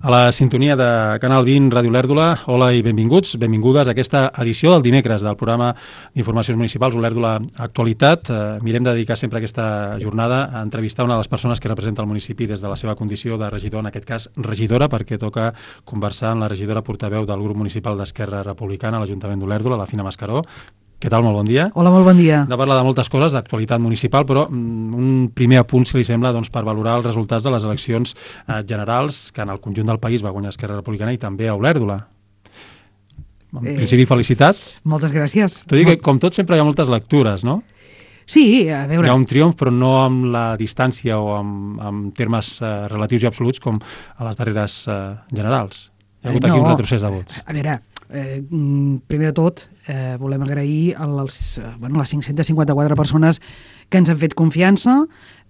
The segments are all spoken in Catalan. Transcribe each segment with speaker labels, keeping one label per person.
Speaker 1: A la sintonia de Canal 20, Ràdio Olèrdola, hola i benvinguts, benvingudes a aquesta edició del dimecres del programa d'Informacions Municipals Olèrdola Actualitat. Mirem de dedicar sempre aquesta jornada a entrevistar una de les persones que representa el municipi des de la seva condició de regidor, en aquest cas regidora, perquè toca conversar amb la regidora portaveu del grup municipal d'Esquerra Republicana a l'Ajuntament d'Olèrdola, la Fina Mascaró. Què tal? Molt bon dia.
Speaker 2: Hola, molt bon dia.
Speaker 1: De parlar de moltes coses, d'actualitat municipal, però un primer apunt, si li sembla, per valorar els resultats de les eleccions generals que en el conjunt del país va guanyar Esquerra Republicana i també a Olèrdola. En principi, felicitats.
Speaker 2: Moltes gràcies.
Speaker 1: Tot i que, com tot, sempre hi ha moltes lectures, no?
Speaker 2: Sí, a veure...
Speaker 1: Hi ha un triomf, però no amb la distància o amb termes relatius i absoluts com a les darreres generals. Hi ha hagut aquí un retrocés de vots.
Speaker 2: A veure, primer de tot, volem agrair les 554 persones que ens han fet confiança.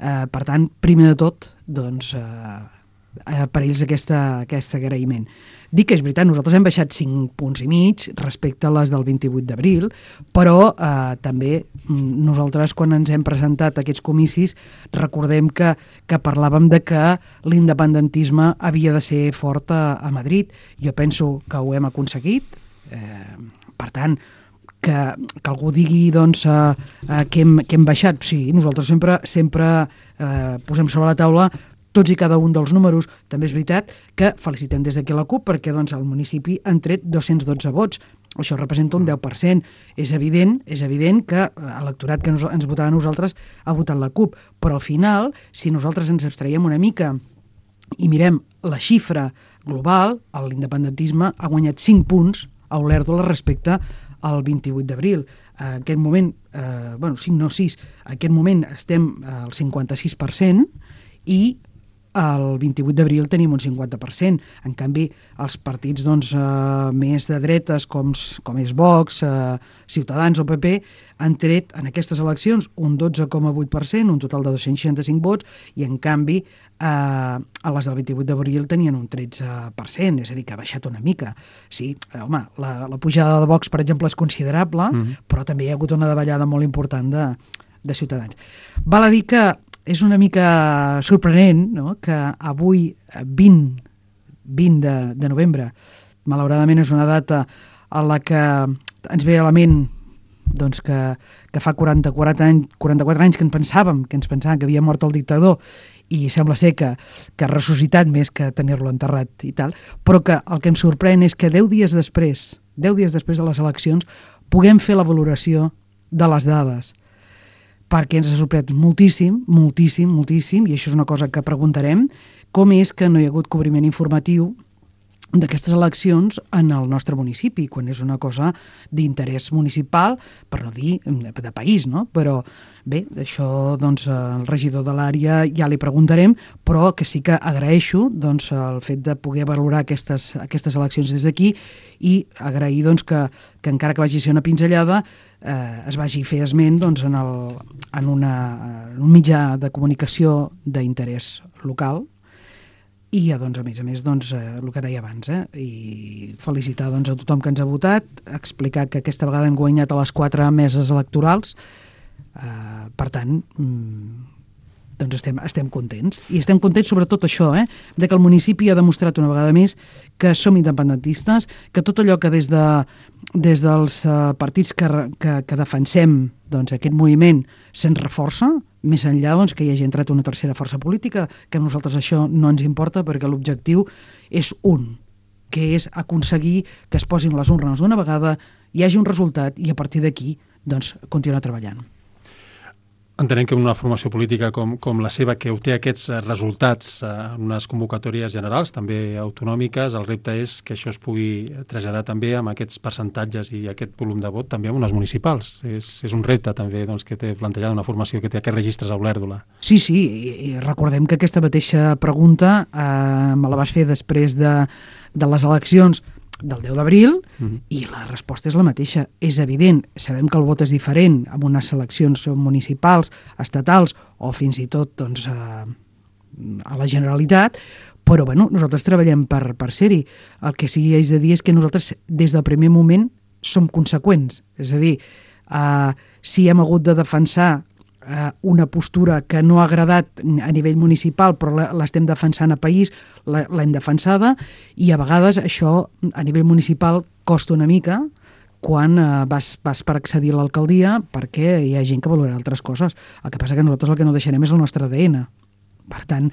Speaker 2: Per tant, primer de tot, doncs, per ells aquest agraïment. Dic que és veritat, nosaltres hem baixat 5,5 punts respecte a les del 28 d'abril, però també nosaltres, quan ens hem presentat a aquests comicis, recordem que parlàvem de que l'independentisme havia de ser fort a Madrid. Jo penso que ho hem aconseguit. Per tant, que algú digui doncs, que hem baixat, sí, nosaltres sempre posem sobre la taula tots i cada un dels números. També és veritat que felicitem des d'aquí la CUP perquè doncs, el municipi han tret 212 vots. Això representa un 10%. És evident que l'electorat que ens votava a nosaltres ha votat la CUP, però al final, si nosaltres ens abstraiem una mica i mirem la xifra global, l'independentisme ha guanyat 5 punts a Olèrdola respecte al 28 d'abril. En aquest moment, 5 no 6, en aquest moment estem al 56% i el 28 d'abril tenim un 50%. En canvi, els partits més de dretes, com és Vox, Ciutadans o PP, han tret en aquestes eleccions un 12,8%, un total de 265 vots, i en canvi a les del 28 d'abril tenien un 13%, és a dir, que ha baixat una mica. Sí, home, la pujada de Vox, per exemple, és considerable, però també hi ha hagut una davallada molt important de Ciutadans. Val a dir que és una mica sorprenent, no?, que avui, 20 de novembre, malauradament és una data a la que ens ve a la ment doncs, que fa 44 anys que ens pensàvem que havia mort el dictador i sembla ser que ha ressuscitat més que tenir-lo enterrat i tal, però que el que em sorprèn és que 10 dies després de les eleccions puguem fer la valoració de les dades, perquè ens ha sorprès moltíssim, i això és una cosa que preguntarem, com és que no hi ha hagut cobriment informatiu d'aquestes eleccions en el nostre municipi, quan és una cosa d'interès municipal, per no dir de país, no? Però bé, això doncs el regidor de l'àrea ja li preguntarem, però que sí que agraeixo doncs, el fet de poder valorar aquestes eleccions des d'aquí i agrair doncs, que encara que vagi a ser una pinzellada es vagi a fer esment doncs, en un mitjà de comunicació d'interès local. I doncs, a més, doncs, el que deia abans, i felicitar doncs, a tothom que ens ha votat, explicar que aquesta vegada hem guanyat a les 4 meses electorals, per tant, doncs estem contents. I estem contents sobretot això, de que el municipi ha demostrat una vegada més que som independentistes, que tot allò que des dels partits que defensem doncs, aquest moviment se'n reforça, més enllà doncs, que hi hagi entrat una tercera força política, que a nosaltres això no ens importa perquè l'objectiu és que és aconseguir que es posin les urnes d'una vegada, hi hagi un resultat i a partir d'aquí doncs, continuar treballant.
Speaker 1: Entenem que una formació política com la seva, que obté aquests resultats en unes convocatòries generals, també autonòmiques, el repte és que això es pugui traslladar també amb aquests percentatges i aquest volum de vot també amb unes municipals. És un repte també doncs, que té plantejada una formació que té aquests registres a Olèrdola.
Speaker 2: Sí, i recordem que aquesta mateixa pregunta me la vas fer després de les eleccions del 10 d'abril i la resposta és la mateixa. És evident, sabem que el vot és diferent en unes eleccions municipals, estatals o fins i tot doncs, a la Generalitat, però bueno, nosaltres treballem per ser-hi. El que sí que haig de dir és que nosaltres des del primer moment som conseqüents. És a dir, si hem hagut de defensar una postura que no ha agradat a nivell municipal, però l'estem defensant a país, l'hem defensada, i a vegades això a nivell municipal costa una mica quan vas per accedir a l'alcaldia, perquè hi ha gent que valora altres coses. El que passa que nosaltres el que no deixarem és el nostre ADN. Per tant,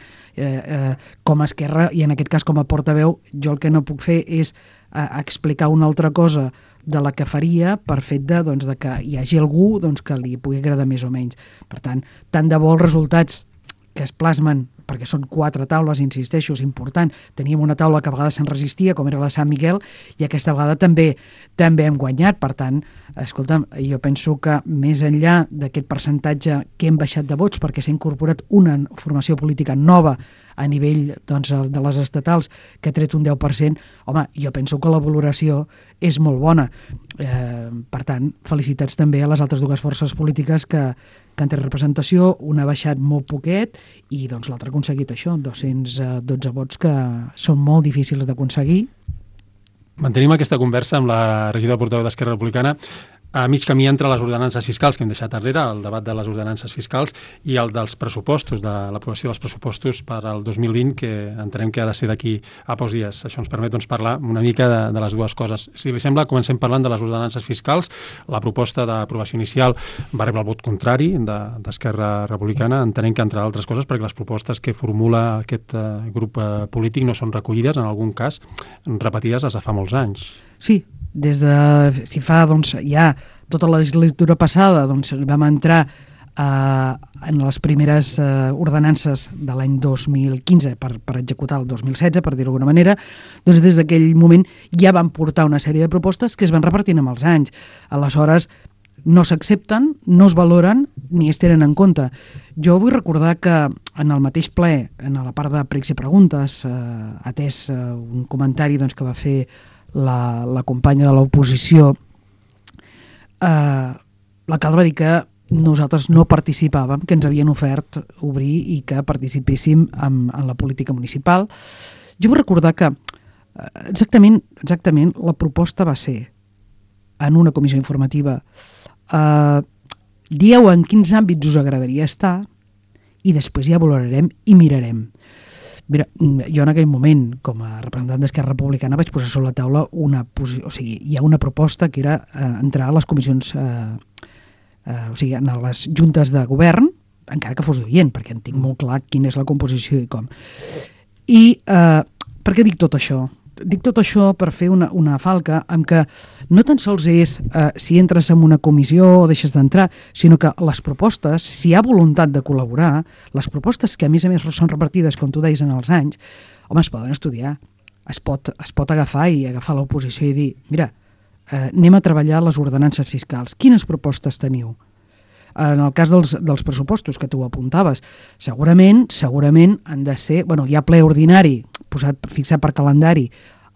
Speaker 2: com a Esquerra, i en aquest cas com a portaveu, jo el que no puc fer és explicar una altra cosa de la que faria per fet de que hi hagi algú que li pugui agradar més o menys. Per tant de bo els resultats que es plasmen, perquè són 4 taules, insisteixo, és important. Teníem una taula que a vegades se'n resistia, com era la Sant Miquel, i aquesta vegada també hem guanyat. Per tant, escolta'm, jo penso que més enllà d'aquest percentatge que hem baixat de vots, perquè s'ha incorporat una formació política nova a nivell de les estatals, que ha tret un 10%, home, jo penso que la valoració és molt bona. Per tant, felicitats també a les altres 2 forces polítiques que han tret representació. Una ha baixat molt poquet i l'altra ha aconseguit això, 212 vots, que són molt difícils d'aconseguir.
Speaker 1: Mantenim aquesta conversa amb la regidora portaveu d'Esquerra Republicana a mig camí entre les ordenances fiscals que hem deixat enrere, el debat de les ordenances fiscals, i el dels pressupostos, de l'aprovació dels pressupostos per al 2020, que entenem que ha de ser d'aquí a pocs dies. Això ens permet parlar una mica de les 2 coses. Si li sembla, comencem parlant de les ordenances fiscals. La proposta d'aprovació inicial va rebre el vot contrari d'Esquerra Republicana. Entenem que, entre altres coses, perquè les propostes que formula aquest grup polític no són recollides, en algun cas repetides des de fa molts anys.
Speaker 2: Sí, si fa ja tota la legislatura passada vam entrar en les primeres ordenances de l'any 2015 per executar el 2016, per dir-ho d'alguna manera, des d'aquell moment ja van portar una sèrie de propostes que es van repartint amb els anys. Aleshores, no s'accepten, no es valoren ni es tenen en compte. Jo vull recordar que en el mateix ple, en la part de pregs i preguntes, atès un comentari que va fer la companya de l'oposició, l'alcalde va dir que nosaltres no participàvem, que ens havien ofert obrir i que participéssim en la política municipal. Jo vull recordar que exactament la proposta va ser en una comissió informativa: dieu en quins àmbits us agradaria estar i després ja valorarem i mirarem. Mira, jo en aquell moment, com a representant d'Esquerra Republicana, vaig posar sobre la taula hi ha una proposta que era entrar a les comissions, en les juntes de govern, encara que fos d'oient, perquè en tinc molt clar quina és la composició i com. I per què dic tot això? Dic tot això per fer una falca amb que no tan sols és si entres en una comissió o deixes d'entrar, sinó que les propostes, si hi ha voluntat de col·laborar, les propostes que a més són repartides, com tu deies, en els anys, home, es poden estudiar. Es pot agafar l'oposició i dir, mira, anem a treballar les ordenances fiscals. Quines propostes teniu? En el cas dels pressupostos, que tu apuntaves, segurament han de ser... hi ha ple ordinari, fixat per calendari,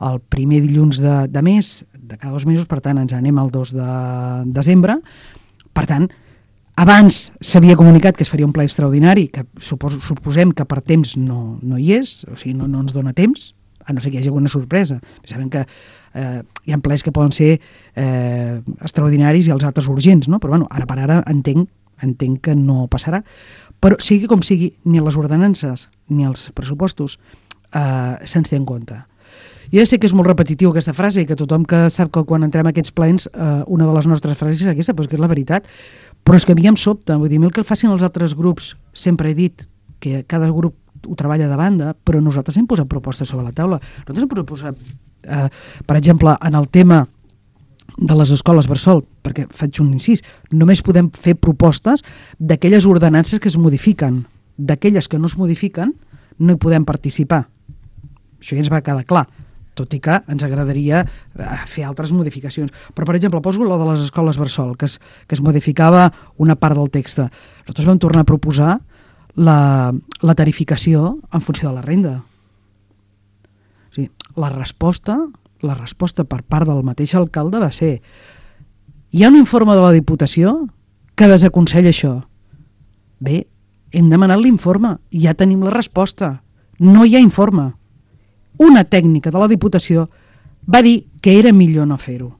Speaker 2: el primer dilluns de mes, de cada 2 mesos, per tant, ens anem al 2 de desembre. Per tant, abans s'havia comunicat que es faria un ple extraordinari, que suposem que per temps no hi és, o sigui, no ens dona temps, a no ser que hi hagi alguna sorpresa. Sabem que hi ha plens que poden ser extraordinaris i els altres urgents, no? Però ara per ara entenc que no passarà. Però sigui com sigui, ni les ordenances ni els pressupostos se'ns té en compte. Jo ja sé que és molt repetitiu aquesta frase i que tothom que sap que quan entrem a aquests plens una de les nostres frases és aquesta, però és que és la veritat. Però és que a mi em sobta, vull dir, el que facin els altres grups, sempre he dit que cada grup ho treballa de banda, però nosaltres hem posat propostes sobre la taula. Nosaltres hem proposat, per exemple, en el tema de les escoles bressol, perquè faig un incís, només podem fer propostes d'aquelles ordenances que es modifiquen. D'aquelles que no es modifiquen no hi podem participar. Això ja ens va quedar clar, tot i que ens agradaria fer altres modificacions. Però, per exemple, poso la de les escoles bressol, que es modificava una part del text. Nosaltres vam tornar a proposar la tarificació en funció de la renda. O sigui, la resposta per part del mateix alcalde va ser: hi ha un informe de la Diputació que desaconsella això. Bé, hem demanat l'informe, ja tenim la resposta. No hi ha informe. Una tècnica de la Diputació va dir que era millor no fer-ho.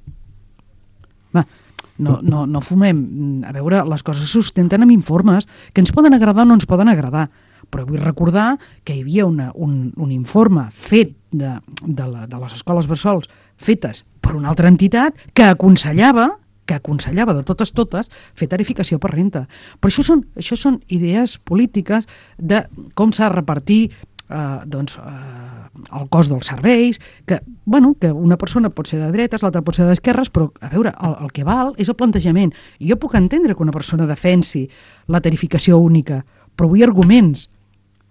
Speaker 2: No fumem. A veure, les coses se sustenten amb informes que ens poden agradar o no ens poden agradar. Però vull recordar que hi havia un informe fet de les escoles bressols fetes per una altra entitat que aconsellava de totes fer tarificació per renta. Però això són idees polítiques de com s'ha de repartir el cost dels serveis, que una persona pot ser de dretes, l'altra pot ser d'esquerres, però a veure, el que val és el plantejament. I jo puc entendre que una persona defensi la tarificació única, però vull arguments.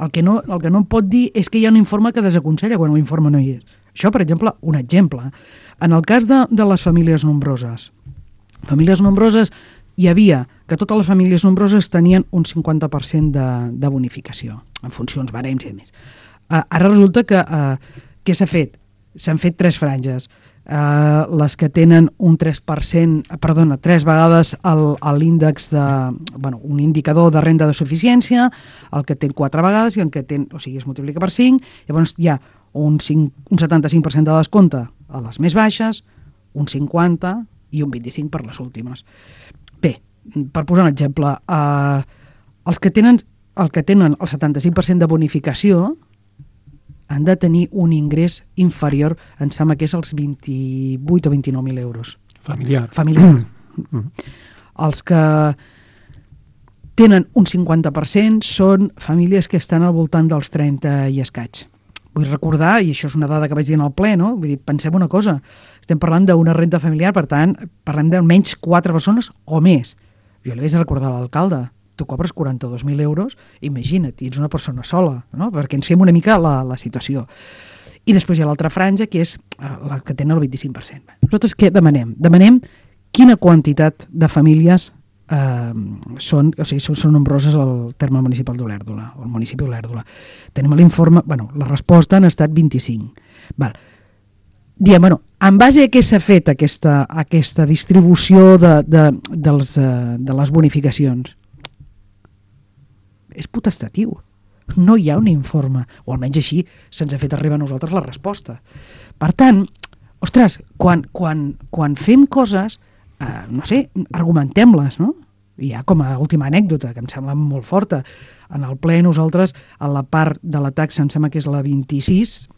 Speaker 2: El que no em pot dir és que hi ha un informe que desaconsella quan l'informe no hi és. Això, per exemple, un exemple. En el cas de les famílies nombroses, hi havia que totes les famílies nombroses tenien un 50% de bonificació, en funcions, barems i més. Ara resulta que què s'ha fet? S'han fet 3 franges. Les que tenen un 3%, perdona, 3 vegades l'índex un indicador de renda de suficiència, el que té 4 vegades i el que té, o sigui, es multiplica per 5, llavors hi ha un 75% de descompte a les més baixes, un 50% i un 25% per les últimes. Bé, per posar un exemple, els que tenen el 75% de bonificació han de tenir un ingrés inferior, em sembla que és els 28 o 29.000 euros.
Speaker 1: Familiar.
Speaker 2: Els que tenen un 50% són famílies que estan al voltant dels 30 i escaig. Vull recordar, i això és una dada que vaig dir en el ple, no? Vull dir, pensem una cosa, estem parlant d'una renta familiar, per tant, parlem d'almenys 4 persones o més. Jo li vaig recordar a l'alcalde, tu cobres 42.000 euros, imagina't, ets una persona sola, no? Perquè ens fem una mica la situació. I després hi ha l'altra franja, que és la que tenen el 25%. Nosaltres què demanem? Demanem quina quantitat de famílies són nombroses al terme municipal d'Olèrdola, al municipi d'Olèrdola. Tenim l'informe, la resposta han estat 25. Diem, en base a què s'ha fet aquesta distribució de les bonificacions? És potestatiu. No hi ha un informe, o almenys així se'ns ha fet arribar a nosaltres la resposta. Per tant, ostres, quan fem coses, argumentem-les, no? I ja com a última anècdota, que em sembla molt forta, en el ple nosaltres, a la part de la taxa, em sembla que és la 26,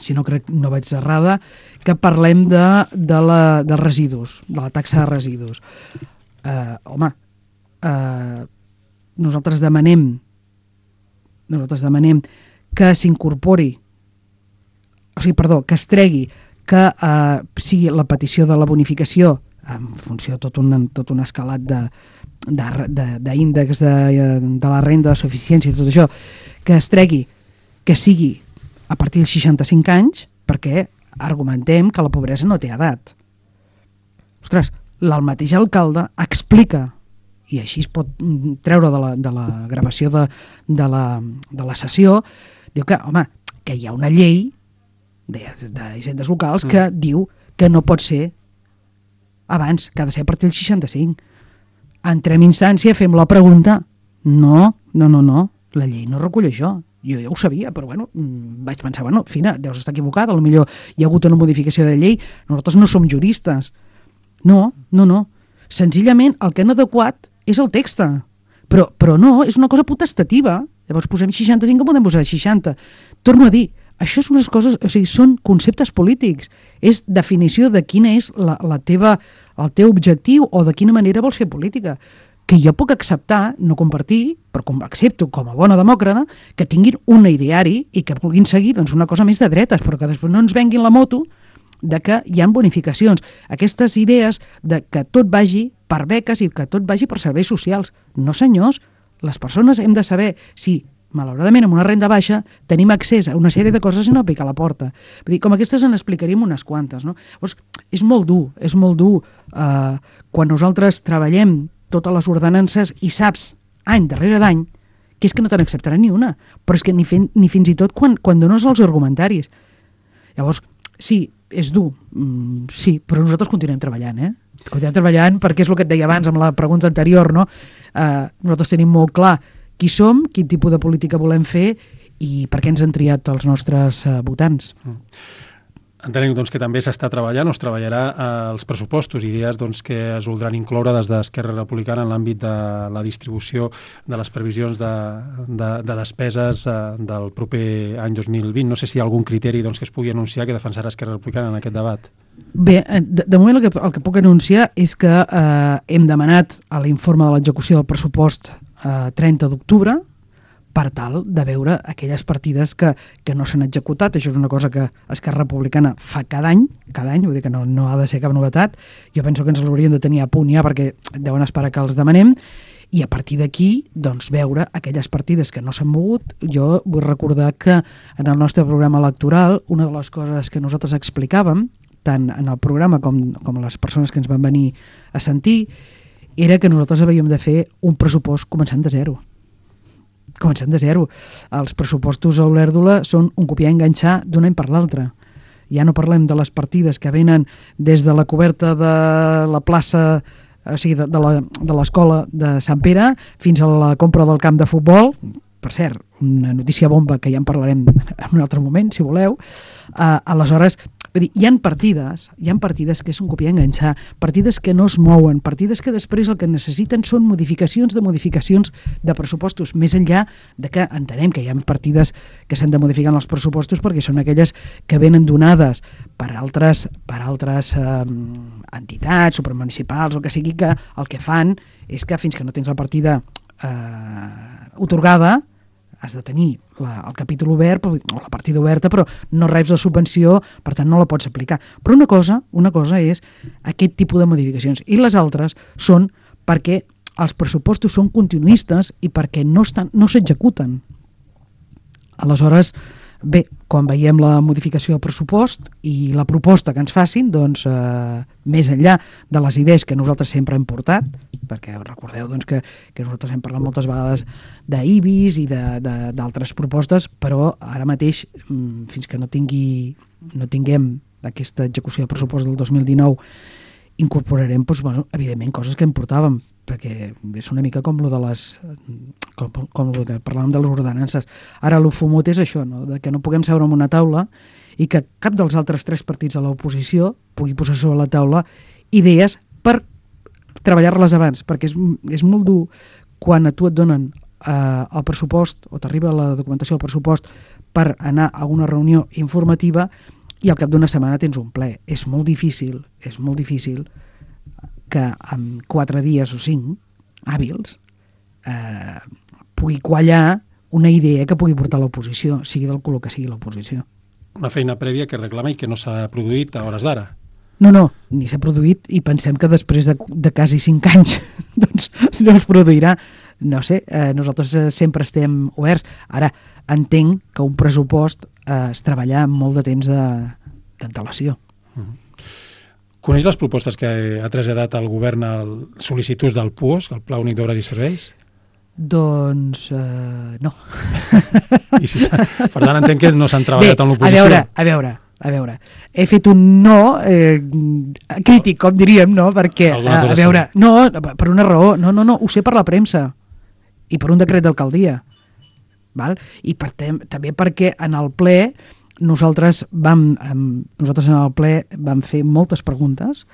Speaker 2: si no crec, no vaig errada, que parlem de residus, de la taxa de residus. Nosaltres demanem que s'incorpori, que es tregui, que sigui la petició de la bonificació en funció de tot un escalat d'índex de la renda de suficiència i tot això, que es tregui, que sigui a partir dels 65 anys, perquè argumentem que la pobresa no té edat. Ostres, el mateix alcalde explica, i així es pot treure de la gravació de la sessió, diu que, que hi ha una llei d'hisendes locals que diu que no pot ser abans, que ha de ser a partir del 65. Entrem en instància, fem la pregunta. No, la llei no recull això. Jo ja ho sabia, però vaig pensar, Fina, deus estar equivocada, potser hi ha hagut una modificació de llei, nosaltres no som juristes. No. Senzillament el que han adequat és el text, però no, és una cosa potestativa. Llavors posem 65 que podem posar 60. Torno a dir, això són unes coses, són conceptes polítics, és definició de quina és el teu objectiu o de quina manera vols fer política, que jo puc acceptar, no compartir, però accepto com a bona demòcrata que tinguin un ideari i que vulguin seguir una cosa més de dretes, però que després no ens venguin la moto de que hi ha bonificacions. Aquestes idees de que tot vagi per beques i que tot vagi per serveis socials. No, senyors, les persones hem de saber si malauradament amb una renda baixa tenim accés a una sèrie de coses i no picar la porta. Vull dir, com aquestes en explicaríem unes quantes, no? Llavors, és molt dur quan nosaltres treballem totes les ordenances i saps, any darrere d'any, que és que no te n'acceptaran ni una, però és que ni fins i tot quan dones els argumentaris. Llavors, sí, és dur, sí, però nosaltres continuem treballant, Continuem treballant perquè és el que et deia abans amb la pregunta anterior, no? Nosaltres tenim molt clar qui som, quin tipus de política volem fer i per què ens han triat els nostres votants.
Speaker 1: Entenem doncs, que també s'està treballant o es treballarà els pressupostos, idees doncs, que es voldran incloure des d'Esquerra Republicana en l'àmbit de la distribució de les previsions de despeses del proper any 2020. No sé si hi ha algun criteri doncs, que es pugui anunciar que defensarà Esquerra Republicana en aquest debat.
Speaker 2: Bé, de moment el que puc anunciar és que hem demanat a l'informe de l'execució del pressupost 30 d'octubre per tal de veure aquelles partides que no s'han executat. Això és una cosa que Esquerra Republicana fa cada any, vull dir que no ha de ser cap novetat. Jo penso que ens l'haurien de tenir a punt ja perquè deuen esperar que els demanem, i a partir d'aquí doncs, veure aquelles partides que no s'han mogut. Jo vull recordar que en el nostre programa electoral una de les coses que nosaltres explicàvem, tant en el programa com les persones que ens van venir a sentir, era que nosaltres havíem de fer un pressupost començant de zero. Els pressupostos a Olèrdola són un copiar i enganxar d'un any per l'altre. Ja no parlem de les partides que venen des de la coberta de la plaça, o sigui, de l'escola de Sant Pere fins a la compra del camp de futbol. Per cert, una notícia bomba que ja en parlarem en un altre moment, si voleu. Aleshores, vull dir, hi ha partides que és un copiar i enganxar, partides que no es mouen, partides que després el que necessiten són modificacions de pressupostos, més enllà de que entenem que hi ha partides que s'han de modificar en els pressupostos perquè són aquelles que venen donades per altres entitats supramunicipals o que sigui, que el que fan és que fins que no tens la partida atorgada has de tenir el capítol obert o la partida oberta, però no reps la subvenció, per tant no la pots aplicar. Però una cosa és aquest tipus de modificacions, i les altres són perquè els pressupostos són continuistes i perquè no s'executen. Aleshores, bé, quan veiem la modificació del pressupost i la proposta que ens facin, doncs, més enllà de les idees que nosaltres sempre hem portat, perquè recordeu doncs, que nosaltres hem parlat moltes vegades d'IBIS i d'altres propostes, però ara mateix, fins que no tinguem aquesta execució de pressupost del 2019, incorporarem, doncs, bueno, evidentment, coses que en portàvem, perquè és una mica com lo de com lo que parlàvem de les ordenances. Ara el fumut és això, no? De que no puguem seure en una taula i que cap dels altres 3 partits de l'oposició pugui posar sobre la taula idees per treballar-les abans, perquè és molt dur quan a tu et donen el pressupost o t'arriba la documentació del pressupost per anar a una reunió informativa i al cap d'una setmana tens un ple. És molt difícil que en 4 dies o 5 hàbils pugui quallar una idea que pugui portar l'oposició, sigui del color que sigui l'oposició.
Speaker 1: Una feina prèvia que reclama i que no s'ha produït a hores d'ara.
Speaker 2: No, ni s'ha produït i pensem que després de quasi 5 anys doncs no es produirà. No sé, nosaltres sempre estem oberts. Ara, entenc que un pressupost es treballa amb molt de temps d'antelació.
Speaker 1: Coneix les propostes que ha traslladat el govern al sol·licituds del PUOS, el Pla Únic d'Obres i Serveis?
Speaker 2: Doncs no.
Speaker 1: Per tant, entenc que no s'han treballat en l'oposició.
Speaker 2: A veure, he fet un no crític, com diríem, no? Perquè, no, per una raó, no, ho sé per la premsa i per un decret d'alcaldia, val? I també perquè en el ple nosaltres en el ple vam fer moltes preguntes.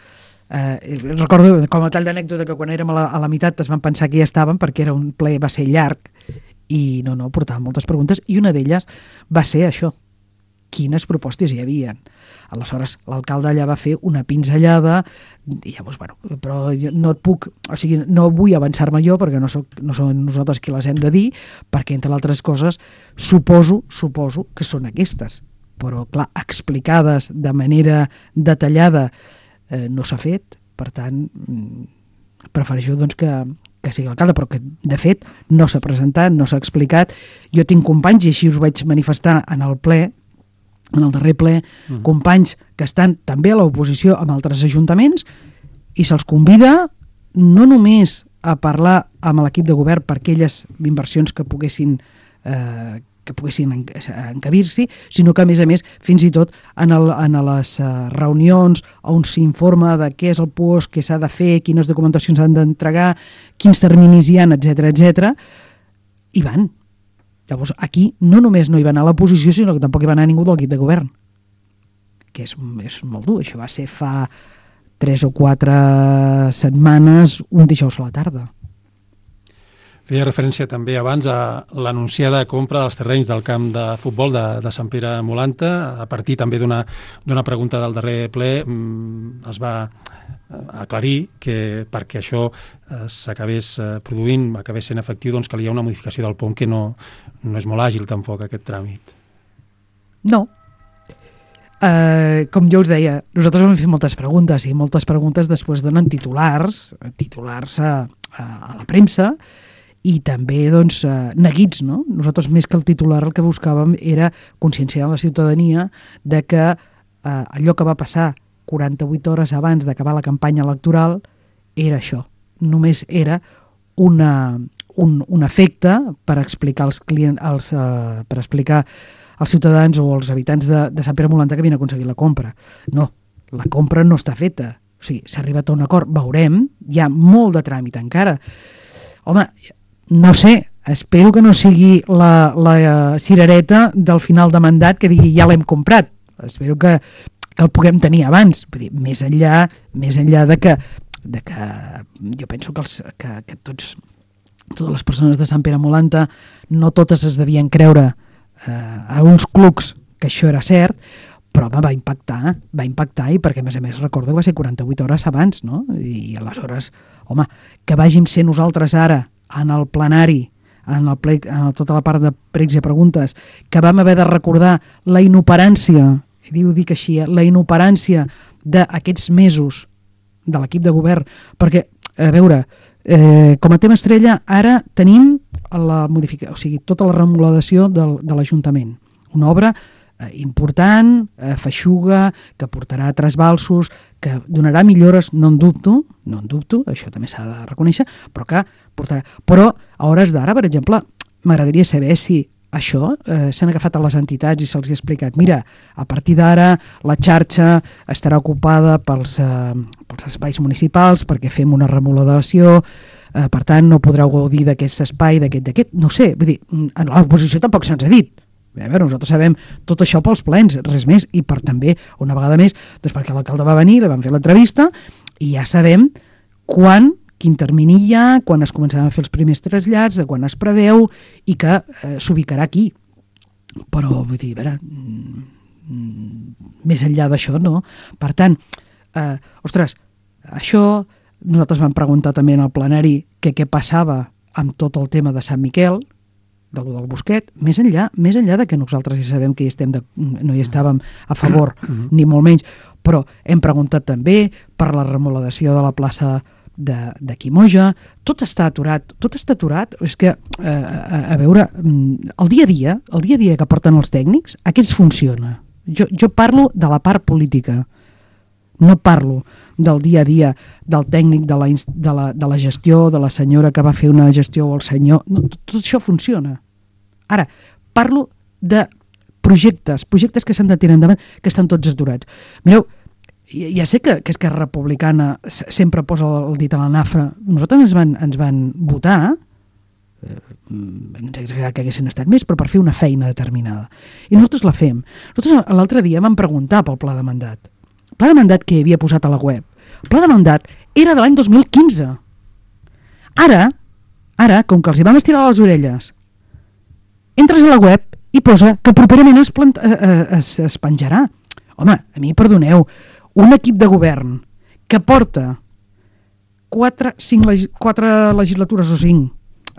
Speaker 2: Recordo com a tall d'anècdota que quan érem a la meitat es van pensar que ja estàvem perquè era un ple, va ser llarg i no, portàvem moltes preguntes i una d'elles va ser això, quines propostes hi havia. Aleshores, l'alcalde allà va fer una pinzellada i llavors, bueno, però no vull avançar-me jo perquè no som nosaltres qui les hem de dir, perquè entre altres coses suposo que són aquestes, però clar, explicades de manera detallada no s'ha fet, per tant prefereixo doncs que sigui l'alcalde, però que de fet no s'ha presentat, no s'ha explicat. Jo tinc companys, i així us vaig manifestar en el darrer ple, companys que estan també a l'oposició amb altres ajuntaments i se'ls convida no només a parlar amb l'equip de govern per aquelles inversions que poguessin encabir-s'hi, sinó que a més fins i tot en les reunions on s'informa de què és el PUOS, què s'ha de fer, quines documentacions s'han d'entregar, quins terminis hi ha, etc. hi van. Llavors, aquí no només no hi va anar l'oposició, sinó que tampoc hi va anar ningú del equip de govern. que és molt dur. Això va ser fa 3 o 4 setmanes, un dijous a la tarda.
Speaker 1: Feia referència també abans a l'anunciada compra dels terrenys del camp de futbol de Sant Pere Molanta. A partir també d'una pregunta del darrer ple es va aclarir que perquè això s'acabés produint, acabés sent efectiu, doncs calia una modificació del POM, que no és molt àgil tampoc aquest tràmit.
Speaker 2: No. Com jo us deia, nosaltres vam fer moltes preguntes i moltes preguntes després donen titulars a la premsa i també doncs, neguits, no? Nosaltres més que el titular el que buscàvem era conscienciar la ciutadania de que allò que va passar 48 hores abans d'acabar la campanya electoral era això. Només era un efecte per explicar per explicar als ciutadans o als habitants de Sant Pere Molanta que havien aconseguit la compra. No, la compra no està feta. O sigui, s'ha arribat a un acord, veurem, hi ha molt de tràmit encara. Home, no sé, espero que no sigui la cirereta del final de mandat que digui ja l'hem comprat. Espero que el puguem tenir abans. Vull dir, més enllà de que jo penso que totes les persones de Sant Pere Molanta no totes es devien creure a uns clucs que això era cert, però home, va impactar i perquè a més recordo que va ser 48 hores abans, no? I aleshores, home, que vàgim ser nosaltres ara en el plenari, en tota la part de pregs i preguntes, que vam haver de recordar la inoperància, i ho dic així, la inoperància d'aquests mesos de l'equip de govern, perquè, a veure, com a tema estrella, ara tenim tota la remodelació de l'Ajuntament, una obra important, feixuga, que portarà trasbalsos, que donarà millores, no en dubto, això també s'ha de reconèixer, però que portarà. Però a hores d'ara, per exemple, m'agradaria saber si això s'han agafat a les entitats i se'ls ha explicat, mira, a partir d'ara la xarxa estarà ocupada pels espais municipals perquè fem una remodelació, per tant no podreu gaudir d'aquest espai, d'aquest, no sé, vull dir, a l'oposició tampoc se'ns ha dit. A veure, nosaltres sabem tot això pels plens, res més, i per també, una vegada més, doncs perquè l'alcalde va venir, li vam fer l'entrevista, i ja sabem quin termini hi ha, quan es començaran a fer els primers trasllats, de quan es preveu, i que s'ubicarà aquí. Però, vull dir, a veure, més enllà d'això, no? Per tant, ostres, això, nosaltres vam preguntar també en el plenari què passava amb tot el tema de Sant Miquel, del Bosquet, més enllà de que nosaltres ja sabem que no hi estàvem a favor, ni molt menys, però hem preguntat també per la remodelació de la plaça de Quimoja, tot està aturat, és que, a veure, el dia a dia que porten els tècnics, aquests funciona. Jo parlo de la part política, no parlo del dia a dia del tècnic, de la gestió, de la senyora que va fer una gestió o el senyor, no, tot això funciona. Ara, parlo de projectes que s'han de tirar endavant, que estan tots aturats. Mireu, ja sé que Esquerra Republicana sempre posa el dit a la nafra. Nosaltres ens van votar, ens hauria agradat que haguessin estat més, però per fer una feina determinada. I nosaltres la fem. Nosaltres l'altre dia vam preguntar pel pla de mandat. El pla de mandat que havia posat a la web. El pla de mandat era de l'any 2015. Ara, com que els hi vam estirar les orelles, entres a la web i posa que properament es penjarà. Home, a mi, perdoneu, un equip de govern que porta 4 legislatures o 5,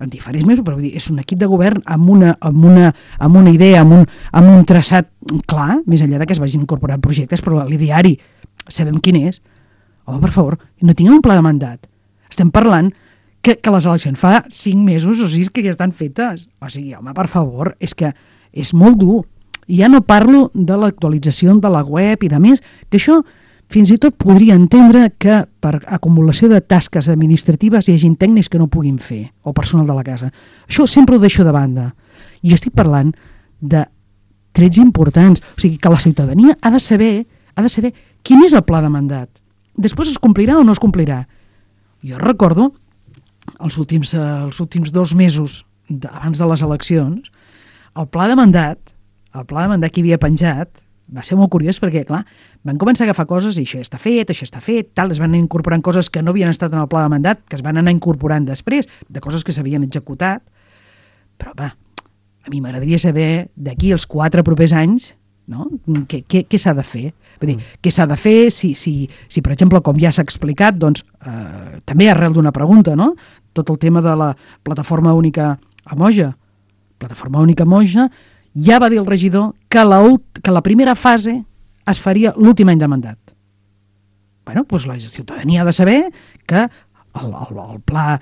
Speaker 2: en diferents mesos, però vull dir, és un equip de govern amb una idea, amb un traçat clar, més enllà de que es vagin incorporant projectes, però l'ideari sabem quin és. Home, per favor, no tinguem un pla de mandat. Estem parlant que les eleccions fa 5 mesos o 6 que ja estan fetes. O sigui, home, per favor, és que és molt dur. I ja no parlo de l'actualització de la web i de més, que això fins i tot podria entendre que per acumulació de tasques administratives hi hagi tècnics que no puguin fer, o personal de la casa. Això sempre ho deixo de banda. I jo estic parlant de trets importants. O sigui, que la ciutadania ha de saber quin és el pla de mandat. Després es complirà o no es complirà. Jo recordo els últims 2 mesos abans de les eleccions, el pla de mandat que hi havia penjat va ser molt curiós perquè, clar, van començar a agafar coses i això està fet, tal, es van incorporant coses que no havien estat en el pla de mandat, que es van anar incorporant després, de coses que s'havien executat, però va, a mi m'agradaria saber d'aquí als 4 propers anys, no? Què s'ha de fer? Vull dir, què s'ha de fer si per exemple, com ja s'ha explicat, doncs, també arrel d'una pregunta, no? Tot el tema de la plataforma única a Moja. Plataforma única a Moja, ja va dir el regidor que la primera fase es faria l'últim any de mandat. Bueno, doncs la ciutadania ha de saber que el pla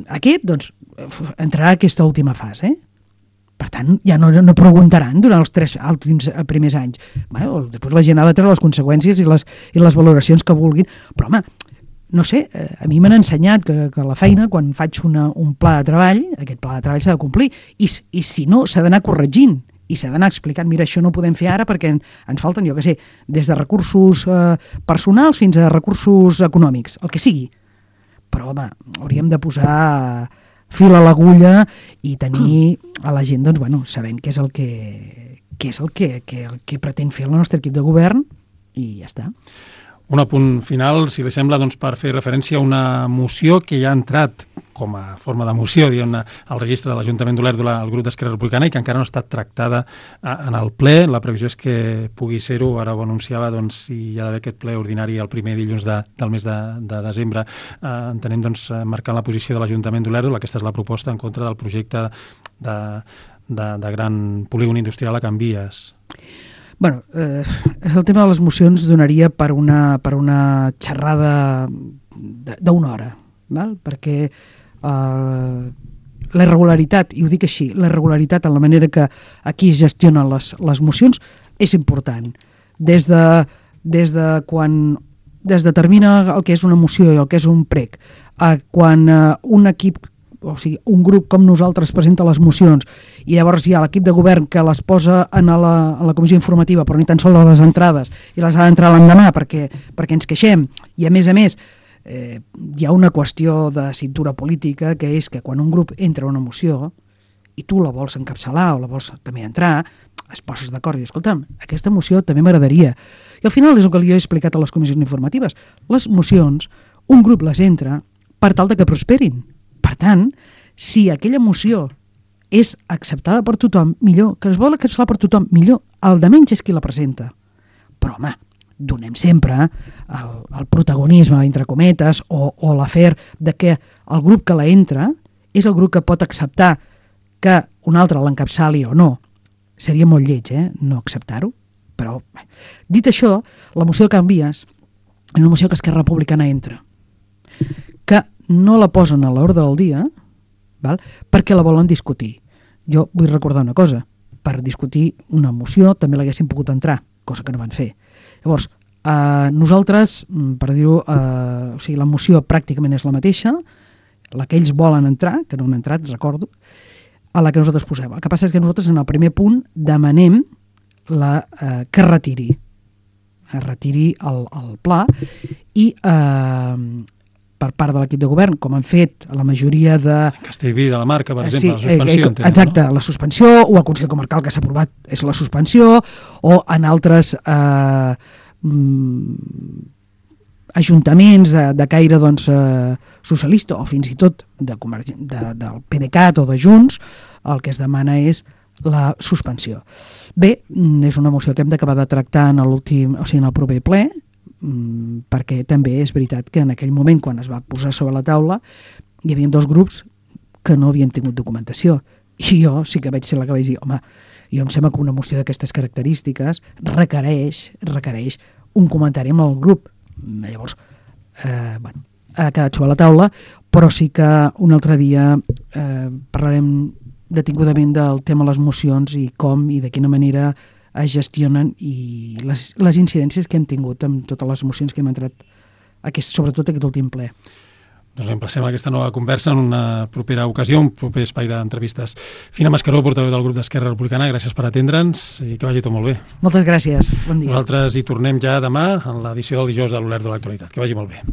Speaker 2: aquest, doncs, entrarà a aquesta última fase. Per tant, ja no preguntaran durant els 3 primers anys. Bueno, després la gent ha de treure les conseqüències i les valoracions que vulguin. Però, home, no sé, a mi m'han ensenyat que la feina, quan faig un pla de treball, aquest pla de treball s'ha de complir. I si no, s'ha d'anar corregint. I s'ha d'anar explicant, mira, això no ho podem fer ara perquè ens falten, jo què sé, des de recursos personals fins a recursos econòmics, el que sigui. Però, home, hauríem de posar fil a l'agulla i tenir a la gent, doncs, bueno, sabent què és el que pretén fer el nostre equip de govern i ja està.
Speaker 1: Un apunt final, si li sembla, doncs, per fer referència a una moció que ja ha entrat com a forma de moció, diguem-ne, al registre de l'Ajuntament d'Olèrdola, al grup d'Esquerra Republicana, i que encara no ha estat tractada en el ple. La previsió és que pugui ser-ho, ara ho anunciava, doncs, si hi ha d'haver aquest ple ordinari el primer dilluns del mes de desembre. Entenem, doncs, marcant la posició de l'Ajuntament d'Olèrdola, aquesta és la proposta en contra del projecte de gran polígon industrial a Can Vies.
Speaker 2: Bueno, el tema de les mocions donaria per una xerrada d'una hora, val? Perquè la irregularitat, i ho dic així, la irregularitat en la manera que aquí es gestionen les mocions és important. Des de quan determina el que és una moció i el que és un prec, a quan un equip, o sigui, un grup com nosaltres presenta les mocions i llavors hi ha l'equip de govern que les posa a la comissió informativa, però ni tan sols a les entrades, i les ha d'entrar l'endemà perquè ens queixem, i a més hi ha una qüestió de cintura política, que és que quan un grup entra a una moció i tu la vols encapçalar o la vols també entrar, es poses d'acord i dius, escolta'm, aquesta moció també m'agradaria. I al final és el que jo he explicat a les comissions informatives. Les mocions, un grup les entra per tal de que prosperin. Per tant, si aquella moció és acceptada per tothom, millor. Que es vol acceptar per tothom, millor. El de menys és qui la presenta. Però, home, donem sempre el protagonisme, entre cometes, o l'afer de que el grup que la entra és el grup que pot acceptar que un altre l'encapçali o no. Seria molt lleig, no acceptar-ho. Però, dit això, la moció de Can Vies és una moció que Esquerra Republicana entra. Que no la posen a l'ordre del dia, val? Perquè la volen discutir. Jo vull recordar una cosa. Per discutir una moció també l'haguessin pogut entrar, cosa que no van fer. Llavors, nosaltres, per dir-ho, o sigui, la moció pràcticament és la mateixa, la que ells volen entrar, que no han entrat, recordo, a la que nosaltres posem. El que passa és que nosaltres en el primer punt demanem que retiri el pla i per part de l'equip de govern, com han fet a la majoria de...
Speaker 1: Castellví de la Marca, per exemple, la suspensió.
Speaker 2: Exacte, no? La suspensió, o el Consell Comarcal que s'ha aprovat és la suspensió, o en altres ajuntaments de caire doncs, socialista, o fins i tot del PDeCAT o de Junts, el que es demana és la suspensió. Bé, és una moció que hem d'acabar de tractar en el proper ple, perquè també és veritat que en aquell moment, quan es va posar sobre la taula, hi havia 2 grups que no havien tingut documentació. I jo sí que vaig ser la que vaig dir, home, jo em sembla que una moció d'aquestes característiques requereix un comentari amb el grup. Llavors, ha quedat sobre la taula, però sí que un altre dia parlarem detingudament del tema de les mocions i com i de quina manera es gestionen i les incidències que hem tingut amb totes les mocions que hem entrat, sobretot aquest últim ple.
Speaker 1: Doncs emplacem aquesta nova conversa en una propera ocasió, un proper espai d'entrevistes. Fina Mascaró, portaveu del grup d'Esquerra Republicana, gràcies per atendre'ns i que vagi tot molt bé.
Speaker 2: Moltes gràcies, bon dia.
Speaker 1: Nosaltres hi tornem ja demà en l'edició del dijous de l'Olèrdola de l'Actualitat. Que vagi molt bé.